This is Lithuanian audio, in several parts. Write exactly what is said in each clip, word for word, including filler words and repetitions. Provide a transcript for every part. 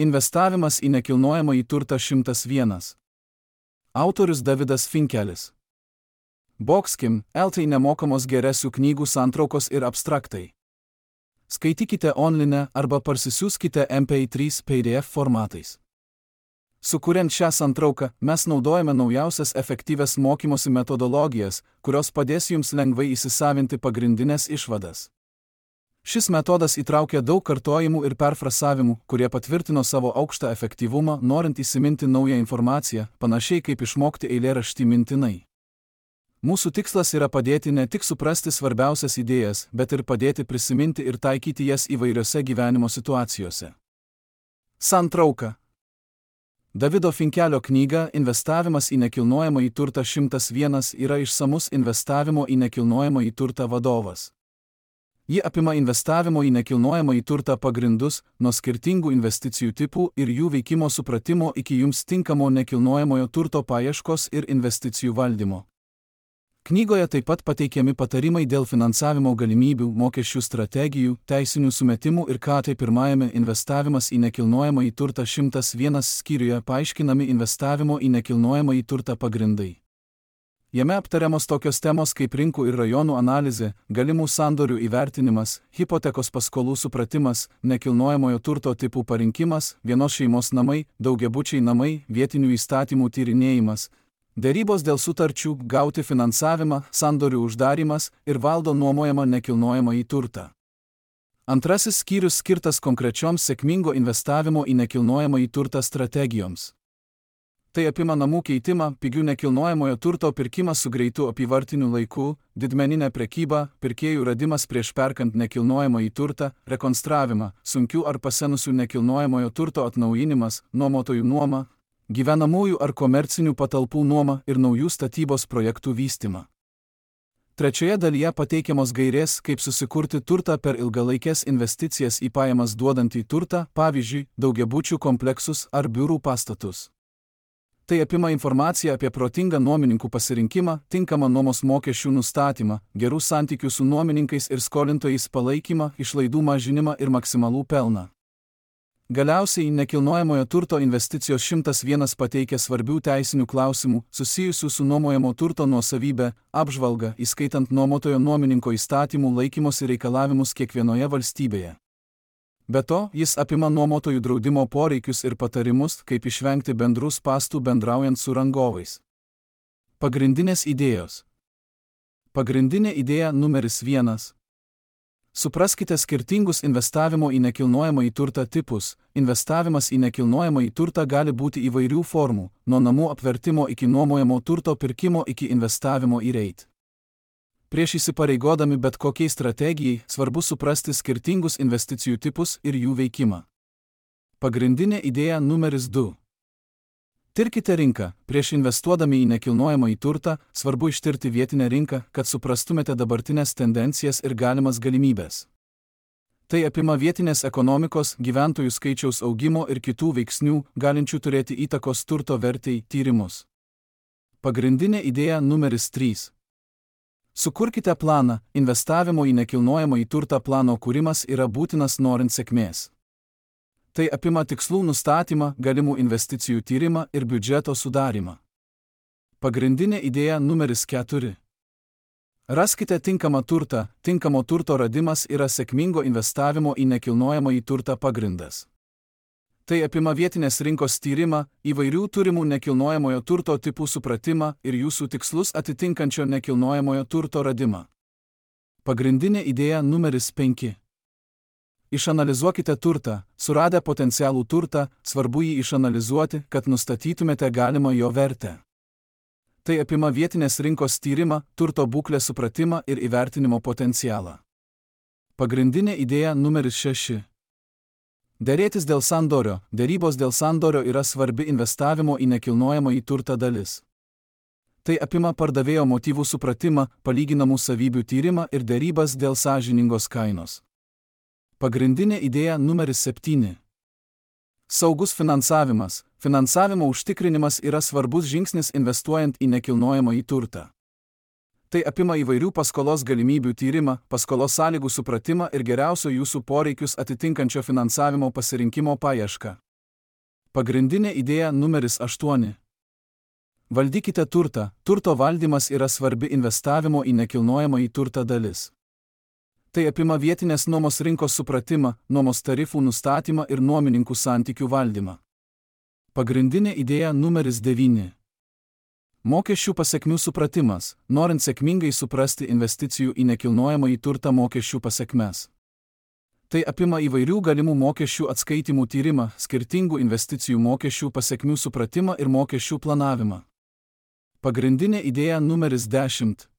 Investavimas į nekilnojamąjį turtą šimtas vienas. Autorius Davidas Finkelis. Boxkim, L T nemokamos geresių knygų santraukos ir abstraktai. Skaitykite online arba parsisiųskite M P trys P D F formatais. Sukuriant šią santrauką, mes naudojame naujausias efektyvias mokymosi metodologijas, kurios padės jums lengvai įsisavinti pagrindinės išvadas. Šis metodas įtraukia daug kartojimų ir perfrasavimų, kurie patvirtino savo aukštą efektyvumą, norint įsiminti naują informaciją, panašiai kaip išmokti eilėraštį mintinai. Mūsų tikslas yra padėti ne tik suprasti svarbiausias idėjas, bet ir padėti prisiminti ir taikyti jas įvairiose gyvenimo situacijose. Santrauka. Davido Finkelio knyga Investavimas į nekilnojamąjį turtą šimtas vienas yra išsamus investavimo į nekilnojamąjį turtą vadovas. Ji apima investavimo į nekilnojamąjį turtą pagrindus, nuo skirtingų investicijų tipų ir jų veikimo supratimo iki jums tinkamo nekilnojamojo turto paieškos ir investicijų valdymo. Knygoje taip pat pateikiami patarimai dėl finansavimo galimybių, mokesčių strategijų, teisinių sumetimų ir ką tai pirmajame Investavimas į nekilnojamąjį turtą šimtas vienas skyriuje paaiškinami investavimo į nekilnojamąjį turtą pagrindai. Jame aptariamos tokios temos kaip rinkų ir rajonų analizė, galimų sandorių įvertinimas, hipotekos paskolų supratimas, nekilnojamojo turto tipų parinkimas, vienos šeimos namai, daugiabučiai namai, vietinių įstatymų tyrinėjimas, derybos dėl sutarčių, gauti finansavimą, sandorių uždarimas ir valdo nuomojamą nekilnojamąjį turtą. Antrasis skyrius skirtas konkrečioms sėkmingo investavimo į nekilnojamąjį turtą strategijoms. Tai apima namų keitimą, pigių nekilnojamojo turto pirkimą su greitu apyvartiniu laiku, didmeninę prekybą, pirkėjų radimas prieš perkant nekilnojamąjį turtą, rekonstravimą, sunkių ar pasenusių nekilnojamojo turto atnaujinimas, nuomotojų nuoma, gyvenamųjų ar komercinių patalpų nuoma ir naujų statybos projektų vystymą. Trečioje dalyje pateikiamos gairės, kaip susikurti turtą per ilgalaikės investicijas į pajamas duodantį turtą, pavyzdžiui, daugiabučių kompleksus ar biurų pastatus. Tai apima informaciją apie protingą nuomininkų pasirinkimą, tinkamą nuomos mokesčių nustatymą, gerų santykių su nuomininkais ir skolintojais palaikymą, išlaidų mažinimą ir maksimalų pelną. Galiausiai nekilnojamojo turto investicijos šimtas vienas pateikia svarbių teisinių klausimų, susijusių su nuomojamo turto nuosavybė, apžvalgą, įskaitant nuomotojo nuomininko įstatymų laikymosi reikalavimus kiekvienoje valstybėje. Be to, jis apima nuomotojų draudimo poreikius ir patarimus, kaip išvengti bendrų spąstų bendraujant su rangovais. Pagrindinės idėjos. Pagrindinė idėja numeris vienas. Supraskite skirtingus investavimo į nekilnojamąjį turtą tipus. Investavimas į nekilnojamąjį turtą gali būti įvairių formų, nuo namų apvertimo iki nuomojamo turto pirkimo iki investavimo į reit. Prieš įsipareigodami bet kokiai strategijai, svarbu suprasti skirtingus investicijų tipus ir jų veikimą. Pagrindinė idėja numeris du. Tirkite rinką. Prieš investuodami į nekilnojamąjį turtą, svarbu ištirti vietinę rinką, kad suprastumėte dabartinės tendencijas ir galimas galimybės. Tai apima vietinės ekonomikos, gyventojų skaičiaus augimo ir kitų veiksnių, galinčių turėti įtakos turto vertei, tyrimus. Pagrindinė idėja numeris trys. Sukurkite planą. Investavimo į nekilnojamąjį turtą plano kūrimas yra būtinas norint sėkmės. Tai apima tikslų nustatymą, galimų investicijų tyrimą ir biudžeto sudarymą. Pagrindinė idėja numeris keturi. Raskite tinkamą turtą. Tinkamo turto radimas yra sėkmingo investavimo į nekilnojamąjį turtą pagrindas. Tai apima vietinės rinkos tyrimą, įvairių turimų nekilnojamojo turto tipų supratimą ir jūsų tikslus atitinkančio nekilnojamojo turto radimą. Pagrindinė idėja numeris penki. Išanalizuokite turtą. Suradę potencialų turtą, svarbu jį išanalizuoti, kad nustatytumėte galimą jo vertę. Tai apima vietinės rinkos tyrimą, turto būklės supratimą ir įvertinimo potencialą. Pagrindinė idėja numeris šeši. Derėtis dėl sandorio. Derybos dėl sandorio yra svarbi investavimo į nekilnojamąjį turtą dalis. Tai apima pardavėjo motyvų supratimą, palyginamų savybių tyrimą ir derybas dėl sąžiningos kainos. Pagrindinė idėja numeris septyni. Saugus finansavimas. Finansavimo užtikrinimas yra svarbus žingsnis investuojant į nekilnojamąjį turtą. Tai apima įvairių paskolos galimybių tyrimą, paskolos sąlygų supratimą ir geriausio jūsų poreikius atitinkančio finansavimo pasirinkimo paiešką. Pagrindinė idėja numeris aštuoni. Valdykite turtą. Turto valdymas yra svarbi investavimo į nekilnojamąjį turtą dalis. Tai apima vietinės nuomos rinkos supratimą, nuomos tarifų nustatymą ir nuomininkų santykių valdymą. Pagrindinė idėja numeris devyni. Mokesčių pasekmių supratimas, norint sėkmingai suprasti investicijų į nekilnojamąjį turtą mokesčių pasekmes. Tai apima įvairių galimų mokesčių atskaitimų tyrimą, skirtingų investicijų mokesčių pasekmių supratimą ir mokesčių planavimą. Pagrindinė idėja numeris dešimt.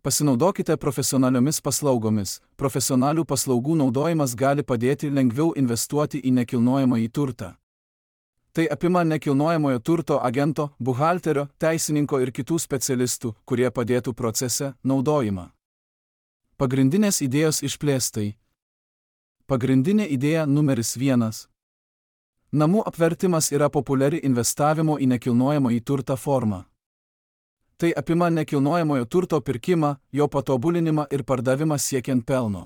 Pasinaudokite profesionaliomis paslaugomis. Profesionalių paslaugų naudojimas gali padėti lengviau investuoti į nekilnojamąjį turtą. Tai apima nekilnojamojo turto agento, buhalterio, teisininko ir kitų specialistų, kurie padėtų procese, naudojimą. Pagrindinės idėjos išplėstai. Pagrindinė idėja numeris vienas. Namų apvertimas yra populiari investavimo į nekilnojamąjį turtą forma. Tai apima nekilnojamojo turto pirkimą, jo patobulinimą ir pardavimą siekiant pelno.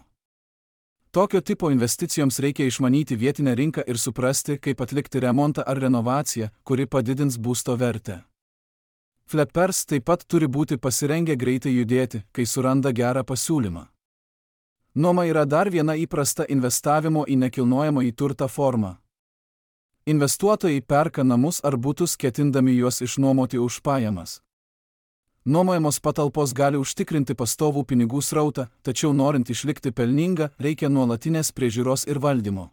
Tokio tipo investicijoms reikia išmanyti vietinę rinką ir suprasti, kaip atlikti remontą ar renovaciją, kuri padidins būsto vertę. Flippers taip pat turi būti pasirengę greitai judėti, kai suranda gerą pasiūlymą. Nuoma yra dar viena įprasta investavimo į nekilnojamąjį turtą forma. Investuotojai perka namus ar butus ketindami juos išnuomoti už pajamas. Nuomojamos patalpos gali užtikrinti pastovų pinigų srautą, tačiau norint išlikti pelningą, reikia nuolatinės priežiūros ir valdymo.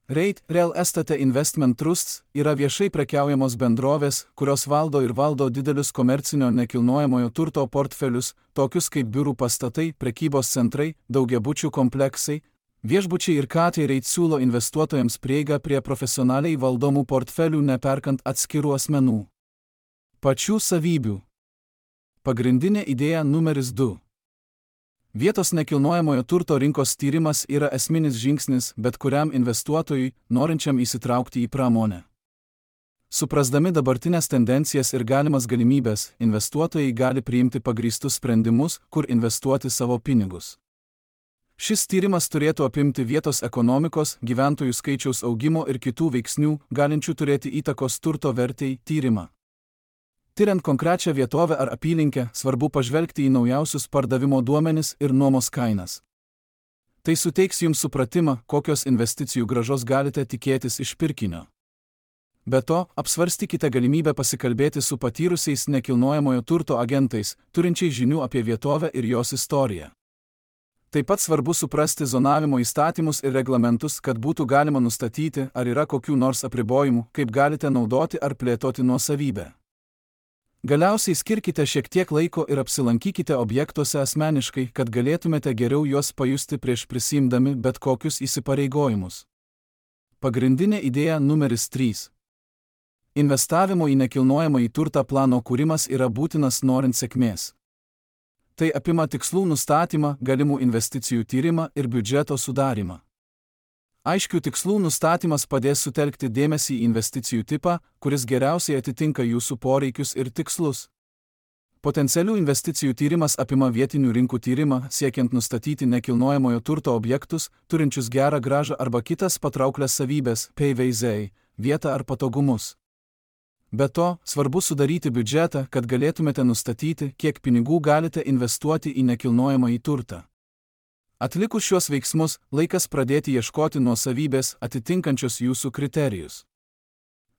REIT Real Estate Investment Trusts yra viešai prekiaujamos bendrovės, kurios valdo ir valdo didelius komercinio nekilnojamojo turto portfelius, tokius kaip biurų pastatai, prekybos centrai, daugiabučių kompleksai, viešbučiai ir katai. REIT siūlo investuotojams prieigą prie profesionaliai valdomų portfelių neperkant atskirų asmenų. Pačių savybių. Pagrindinė idėja numeris du. Vietos nekilnojamojo turto rinkos tyrimas yra esminis žingsnis bet kuriam investuotojui, norinčiam įsitraukti į pramonę. Suprasdami dabartinės tendencijas ir galimas galimybes, investuotojai gali priimti pagrįstus sprendimus, kur investuoti savo pinigus. Šis tyrimas turėtų apimti vietos ekonomikos, gyventojų skaičiaus augimo ir kitų veiksnių, galinčių turėti įtakos turto vertei, tyrimą. Tiriant konkrečią vietovę ar apylinkę, svarbu pažvelgti į naujausius pardavimo duomenis ir nuomos kainas. Tai suteiks jums supratimą, kokios investicijų grąžos galite tikėtis iš pirkinio. Be to, apsvarstykite galimybę pasikalbėti su patyrusiais nekilnojamojo turto agentais, turinčiais žinių apie vietovę ir jos istoriją. Taip pat svarbu suprasti zonavimo įstatymus ir reglamentus, kad būtų galima nustatyti, ar yra kokių nors apribojimų, kaip galite naudoti ar plėtoti nuosavybę. Galiausiai skirkite šiek tiek laiko ir apsilankykite objektuose asmeniškai, kad galėtumėte geriau juos pajusti prieš prisiimdami bet kokius įsipareigojimus. Pagrindinė idėja numeris trys. Investavimo į nekilnojamąjį turtą plano kūrimas yra būtinas norint sėkmės. Tai apima tikslų nustatymą, galimų investicijų tyrimą ir biudžeto sudarymą. Aiškių tikslų nustatymas padės sutelkti dėmesį į investicijų tipą, kuris geriausiai atitinka jūsų poreikius ir tikslus. Potencialių investicijų tyrimas apima vietinių rinkų tyrimą, siekiant nustatyti nekilnojamojo turto objektus, turinčius gerą grąžą arba kitas patrauklias savybės, P V Z, vietą ar patogumus. Be to, svarbu sudaryti biudžetą, kad galėtumėte nustatyti, kiek pinigų galite investuoti į nekilnojamąjį turtą. Atlikus šios veiksmus, laikas pradėti ieškoti nuosavybės atitinkančios jūsų kriterijus.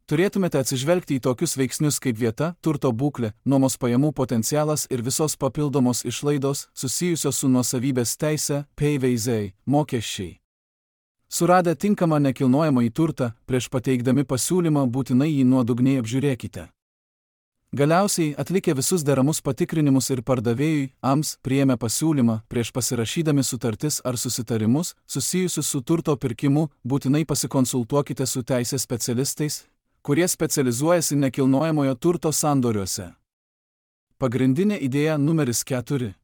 Turėtumėte atsižvelgti į tokius veiksnius kaip vieta, turto būklė, nuomos pajamų potencialas ir visos papildomos išlaidos susijusios su nuosavybės teise, P V Z, mokesčiai. Suradę tinkamą nekilnojamąjį turtą, prieš pateikdami pasiūlymą būtinai jį nuodugniai apžiūrėkite. Galiausiai, atlikę visus deramus patikrinimus ir pardavėjui, A M S, priėmė pasiūlymą, prieš pasirašydami sutartis ar susitarimus, susijusius su turto pirkimu, būtinai pasikonsultuokite su teisės specialistais, kurie specializuojasi nekilnojamojo turto sandoriuose. Pagrindinė idėja numeris keturi.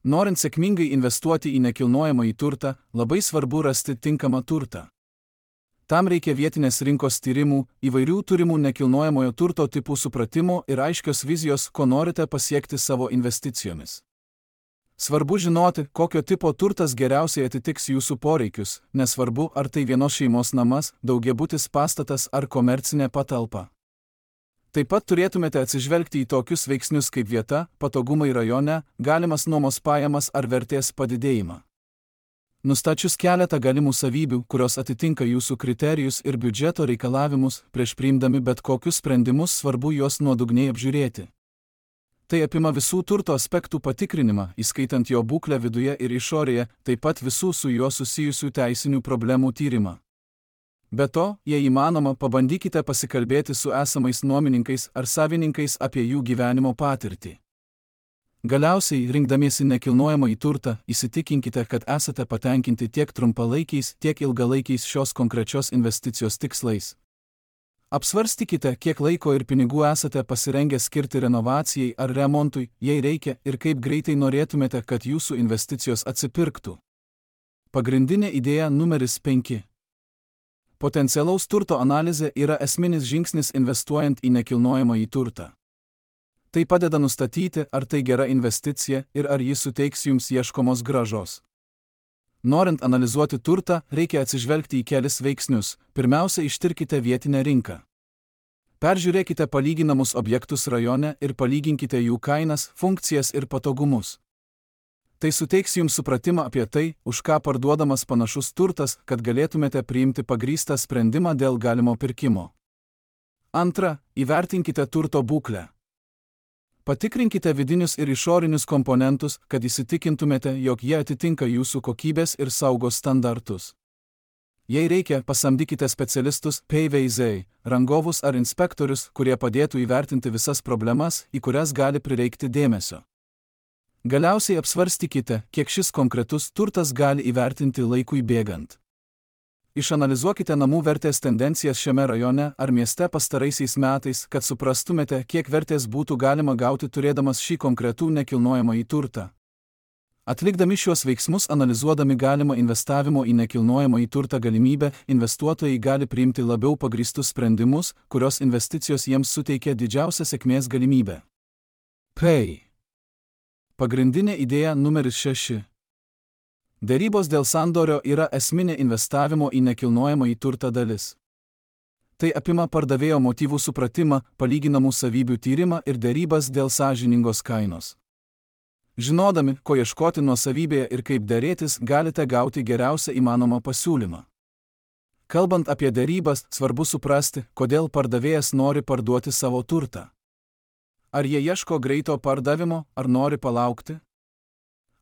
Norint sėkmingai investuoti į nekilnojamąjį turtą, labai svarbu rasti tinkamą turtą. Tam reikia vietinės rinkos tyrimų, įvairių turimų nekilnojamojo turto tipų supratimo ir aiškios vizijos, ko norite pasiekti savo investicijomis. Svarbu žinoti, kokio tipo turtas geriausiai atitiks jūsų poreikius, nesvarbu, ar tai vienos šeimos namas, daugiabutis pastatas ar komercinė patalpa. Taip pat turėtumėte atsižvelgti į tokius veiksnius kaip vieta, patogumai rajone, galimas nuomos pajamas ar vertės padidėjimą. Nustačius keletą galimų savybių, kurios atitinka jūsų kriterijus ir biudžeto reikalavimus, prieš priimdami bet kokius sprendimus svarbu juos nuodugniai apžiūrėti. Tai apima visų turto aspektų patikrinimą, įskaitant jo būklę viduje ir išorėje, taip pat visų su juo susijusių teisinių problemų tyrimą. Be to, jei įmanoma, pabandykite pasikalbėti su esamais nuomininkais ar savininkais apie jų gyvenimo patirtį. Galiausiai, rinkdamiesi nekilnojamąjį turtą, įsitikinkite, kad esate patenkinti tiek trumpalaikiais, tiek ilgalaikiais šios konkrečios investicijos tikslais. Apsvarstykite, kiek laiko ir pinigų esate pasirengę skirti renovacijai ar remontui, jei reikia, ir kaip greitai norėtumėte, kad jūsų investicijos atsipirktų. Pagrindinė idėja numeris penki. Potencialaus turto analizė yra esminis žingsnis investuojant į nekilnojamąjį turtą. Tai padeda nustatyti, ar tai gera investicija ir ar ji suteiks jums ieškomos grąžos. Norint analizuoti turtą, reikia atsižvelgti į kelis veiksnius. Pirmiausia, ištirkite vietinę rinką. Peržiūrėkite palyginamus objektus rajone ir palyginkite jų kainas, funkcijas ir patogumus. Tai suteiks jums supratimą apie tai, už ką parduodamas panašus turtas, kad galėtumėte priimti pagrįstą sprendimą dėl galimo pirkimo. Antra, įvertinkite turto būklę. Patikrinkite vidinius ir išorinius komponentus, kad įsitikintumėte, jog jie atitinka jūsų kokybės ir saugos standartus. Jei reikia, pasamdykite specialistus, P V Z, rangovus ar inspektorius, kurie padėtų įvertinti visas problemas, į kurias gali prireikti dėmesio. Galiausiai apsvarstykite, kiek šis konkretus turtas gali įvertinti laikui bėgant. Išanalizuokite namų vertės tendencijas šiame rajone ar mieste pastaraisiais metais, kad suprastumėte, kiek vertės būtų galima gauti turėdamas šį konkretų nekilnojamąjį turtą. Atlikdami šiuos veiksmus analizuodami galimą investavimo į nekilnojamąjį turtą galimybę, investuotojai gali priimti labiau pagrįstus sprendimus, kurios investicijos jiems suteikia didžiausią sėkmės galimybę. P. Pagrindinė idėja numeris šeši. Derybos dėl sandorio yra esminė investavimo į nekilnojamąjį turtą dalis. Tai apima pardavėjo motyvų supratimą, palyginamų savybių tyrimą ir derybas dėl sąžiningos kainos. Žinodami, ko ieškoti nuosavybėje ir kaip derėtis, galite gauti geriausią įmanomą pasiūlymą. Kalbant apie derybas, svarbu suprasti, kodėl pardavėjas nori parduoti savo turtą. Ar jie ieško greito pardavimo, ar nori palaukti?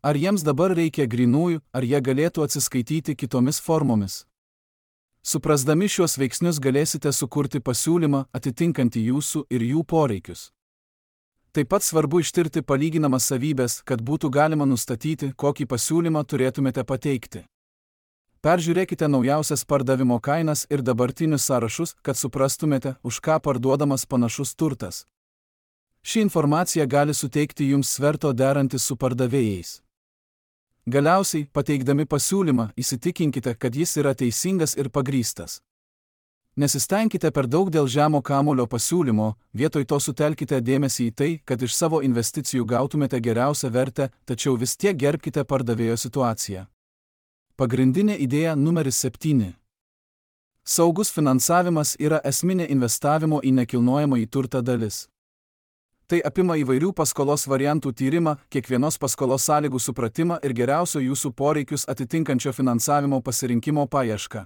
Ar jiems dabar reikia grynųjų, ar jie galėtų atsiskaityti kitomis formomis? Suprasdami šiuos veiksnius galėsite sukurti pasiūlymą atitinkantį jūsų ir jų poreikius. Taip pat svarbu ištirti palyginamas savybės, kad būtų galima nustatyti, kokį pasiūlymą turėtumėte pateikti. Peržiūrėkite naujausias pardavimo kainas ir dabartinius sąrašus, kad suprastumėte, už ką parduodamas panašus turtas. Ši informacija gali suteikti jums sverto derantis su pardavėjais. Galiausiai, pateikdami pasiūlymą, įsitikinkite, kad jis yra teisingas ir pagrįstas. Nesistengkite per daug dėl žemo kamulio pasiūlymo, vietoj to sutelkite dėmesį į tai, kad iš savo investicijų gautumėte geriausią vertę, tačiau vis tiek gerbkite pardavėjo situaciją. Pagrindinė idėja numeris septyni. Saugus finansavimas yra esminė investavimo į nekilnojamąjį turtą dalis. Tai apima įvairių paskolos variantų tyrimą, kiekvienos paskolos sąlygų supratimą ir geriausio jūsų poreikius atitinkančio finansavimo pasirinkimo paiešką.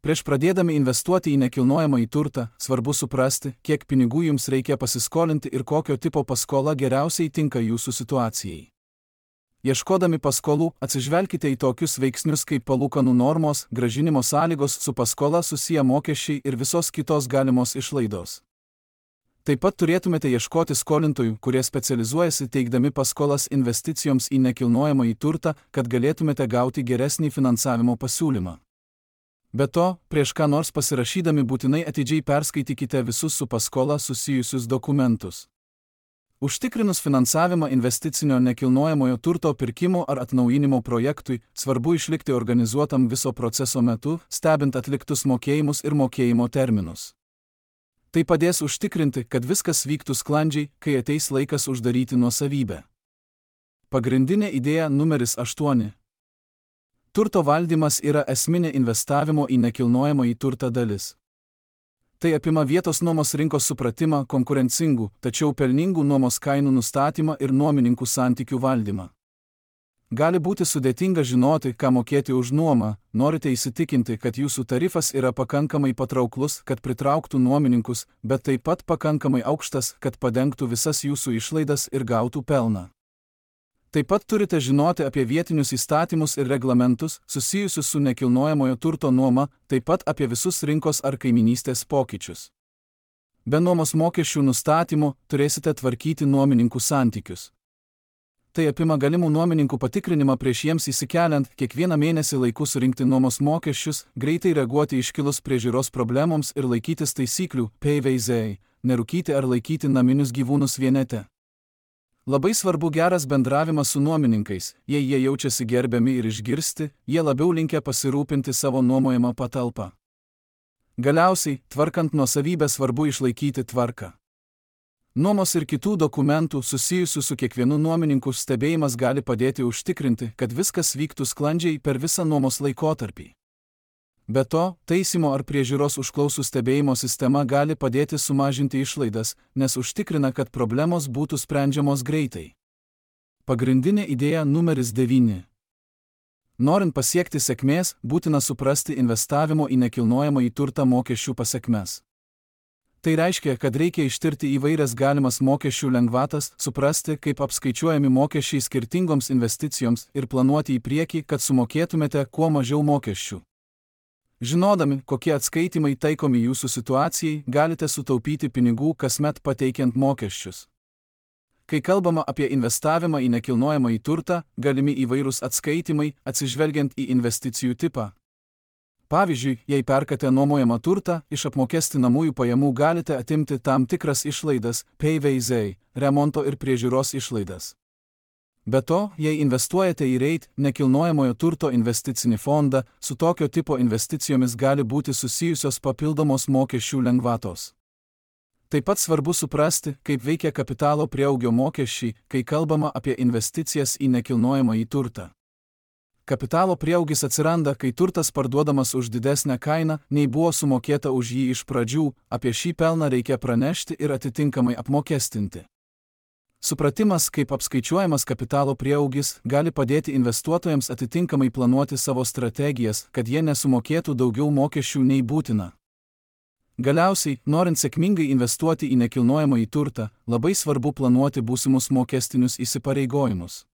Prieš pradėdami investuoti į nekilnojamąjį turtą, svarbu suprasti, kiek pinigų jums reikia pasiskolinti ir kokio tipo paskola geriausiai tinka jūsų situacijai. Ieškodami paskolų, atsižvelkite į tokius veiksnius kaip palūkanų normos, grąžinimo sąlygos, su paskola susiję mokesčiai ir visos kitos galimos išlaidos. Taip pat turėtumėte ieškoti skolintojų, kurie specializuojasi teikdami paskolas investicijoms į nekilnojamąjį turtą, kad galėtumėte gauti geresnį finansavimo pasiūlymą. Be to, prieš ką nors pasirašydami būtinai atidžiai perskaitykite visus su paskola susijusius dokumentus. Užtikrinus finansavimą investicinio nekilnojamojo turto pirkimo ar atnaujinimo projektui, svarbu išlikti organizuotam viso proceso metu, stebint atliktus mokėjimus ir mokėjimo terminus. Tai padės užtikrinti, kad viskas vyktų sklandžiai, kai ateis laikas uždaryti nuosavybę. Pagrindinė idėja numeris aštuoni. Turto valdymas yra esminė investavimo į nekilnojamąjį turtą dalis. Tai apima vietos nuomos rinkos supratimą, konkurencingų, tačiau pelningų nuomos kainų nustatymą ir nuomininkų santykių valdymą. Gali būti sudėtinga žinoti, ką mokėti už nuomą, norite įsitikinti, kad jūsų tarifas yra pakankamai patrauklus, kad pritrauktų nuomininkus, bet taip pat pakankamai aukštas, kad padengtų visas jūsų išlaidas ir gautų pelną. Taip pat turite žinoti apie vietinius įstatymus ir reglamentus, susijusius su nekilnojamojo turto nuoma, taip pat apie visus rinkos ar kaiminystės pokyčius. Be nuomos mokesčių nustatymo turėsite tvarkyti nuomininkų santykius. Tai apima galimų nuomininkų patikrinimą prieš jiems įsikeliant, kiekvieną mėnesį laiku surinkti nuomos mokesčius, greitai reaguoti iškilus priežiūros problemoms ir laikytis taisyklių, P V Z, nerūkyti ar laikyti naminius gyvūnus vienete. Labai svarbu geras bendravimas su nuomininkais, jei jie jaučiasi gerbiami ir išgirsti, jie labiau linkę pasirūpinti savo nuomojamą patalpą. Galiausiai, tvarkant nuosavybę svarbu išlaikyti tvarką. Nuomos ir kitų dokumentų susijusių su kiekvienu nuomininku stebėjimas gali padėti užtikrinti, kad viskas vyktų sklandžiai per visą nuomos laikotarpį. Be to, taisymo ar priežiūros užklausų stebėjimo sistema gali padėti sumažinti išlaidas, nes užtikrina, kad problemos būtų sprendžiamos greitai. Pagrindinė idėja numeris devyni. Norint pasiekti sėkmės, būtina suprasti investavimo į nekilnojamąjį turtą mokesčių pasekmes. Tai reiškia, kad reikia ištirti įvairias galimas mokesčių lengvatas, suprasti, kaip apskaičiuojami mokesčiai skirtingoms investicijoms ir planuoti į priekį, kad sumokėtumėte kuo mažiau mokesčių. Žinodami, kokie atskaitimai taikomi jūsų situacijai, galite sutaupyti pinigų kasmet pateikiant mokesčius. Kai kalbama apie investavimą į nekilnojamąjį turtą, galimi įvairūs atskaitimai, atsižvelgiant į investicijų tipą. Pavyzdžiui, jei perkate nuomojamą turtą, iš apmokestinamųjų pajamų galite atimti tam tikras išlaidas, P V Z, remonto ir priežiūros išlaidas. Be to, jei investuojate į REIT, nekilnojamojo turto investicinį fondą, su tokio tipo investicijomis gali būti susijusios papildomos mokesčių lengvatos. Taip pat svarbu suprasti, kaip veikia kapitalo prieaugio mokesčiai, kai kalbama apie investicijas į nekilnojamąjį turtą. Kapitalo prieaugis atsiranda, kai turtas parduodamas už didesnę kainą, nei buvo sumokėta už jį iš pradžių, apie šį pelną reikia pranešti ir atitinkamai apmokestinti. Supratimas, kaip apskaičiuojamas kapitalo prieaugis, gali padėti investuotojams atitinkamai planuoti savo strategijas, kad jie nesumokėtų daugiau mokesčių nei būtina. Galiausiai, norint sėkmingai investuoti į nekilnojamąjį turtą, labai svarbu planuoti būsimus mokestinius įsipareigojimus.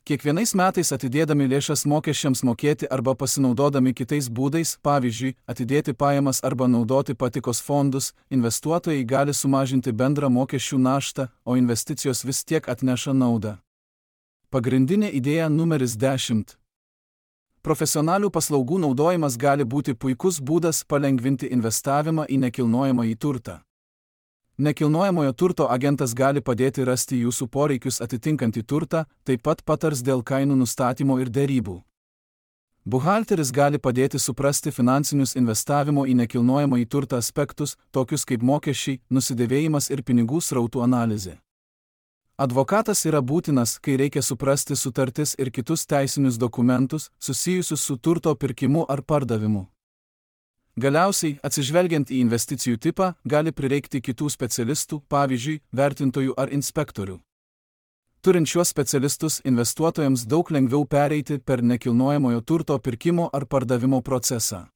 Kiekvienais metais atidėdami lėšas mokesčiams mokėti arba pasinaudodami kitais būdais, pavyzdžiui, atidėti pajamas arba naudoti patikos fondus, investuotojai gali sumažinti bendrą mokesčių naštą, o investicijos vis tiek atneša naudą. Pagrindinė idėja numeris dešimt. Profesionalių paslaugų naudojimas gali būti puikus būdas palengvinti investavimą į nekilnojamąjį turtą. Nekilnojamojo turto agentas gali padėti rasti jūsų poreikius atitinkantį turtą, taip pat patars dėl kainų nustatymo ir derybų. Buhalteris gali padėti suprasti finansinius investavimo į nekilnojamąjį turtą aspektus, tokius kaip mokesčiai, nusidėvėjimas ir pinigų srautų analizė. Advokatas yra būtinas, kai reikia suprasti sutartis ir kitus teisinius dokumentus, susijusius su turto pirkimu ar pardavimu. Galiausiai, atsižvelgiant į investicijų tipą, gali prireikti kitų specialistų, pavyzdžiui, vertintojų ar inspektorių. Turint šiuos specialistus, investuotojams daug lengviau pereiti per nekilnojamojo turto pirkimo ar pardavimo procesą.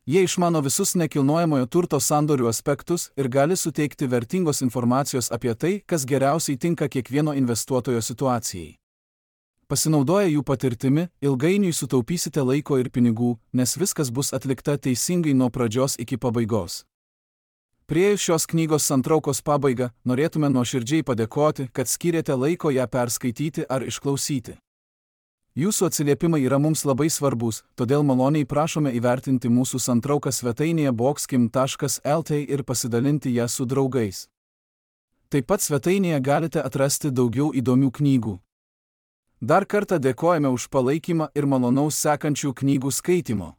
Jie išmano visus nekilnojamojo turto sandorių aspektus ir gali suteikti vertingos informacijos apie tai, kas geriausiai tinka kiekvieno investuotojo situacijai. Pasinaudoję jų patirtimi, ilgainiui sutaupysite laiko ir pinigų, nes viskas bus atlikta teisingai nuo pradžios iki pabaigos. Priėjus šios knygos santraukos pabaigą, norėtume nuoširdžiai padėkoti, kad skyrėte laiko ją perskaityti ar išklausyti. Jūsų atsiliepimai yra mums labai svarbus, todėl maloniai prašome įvertinti mūsų santrauką svetainėje boxkim taškas el t ir pasidalinti ją su draugais. Taip pat svetainėje galite atrasti daugiau įdomių knygų. Dar kartą dėkojame už palaikymą ir malonaus sekančių knygų skaitimo.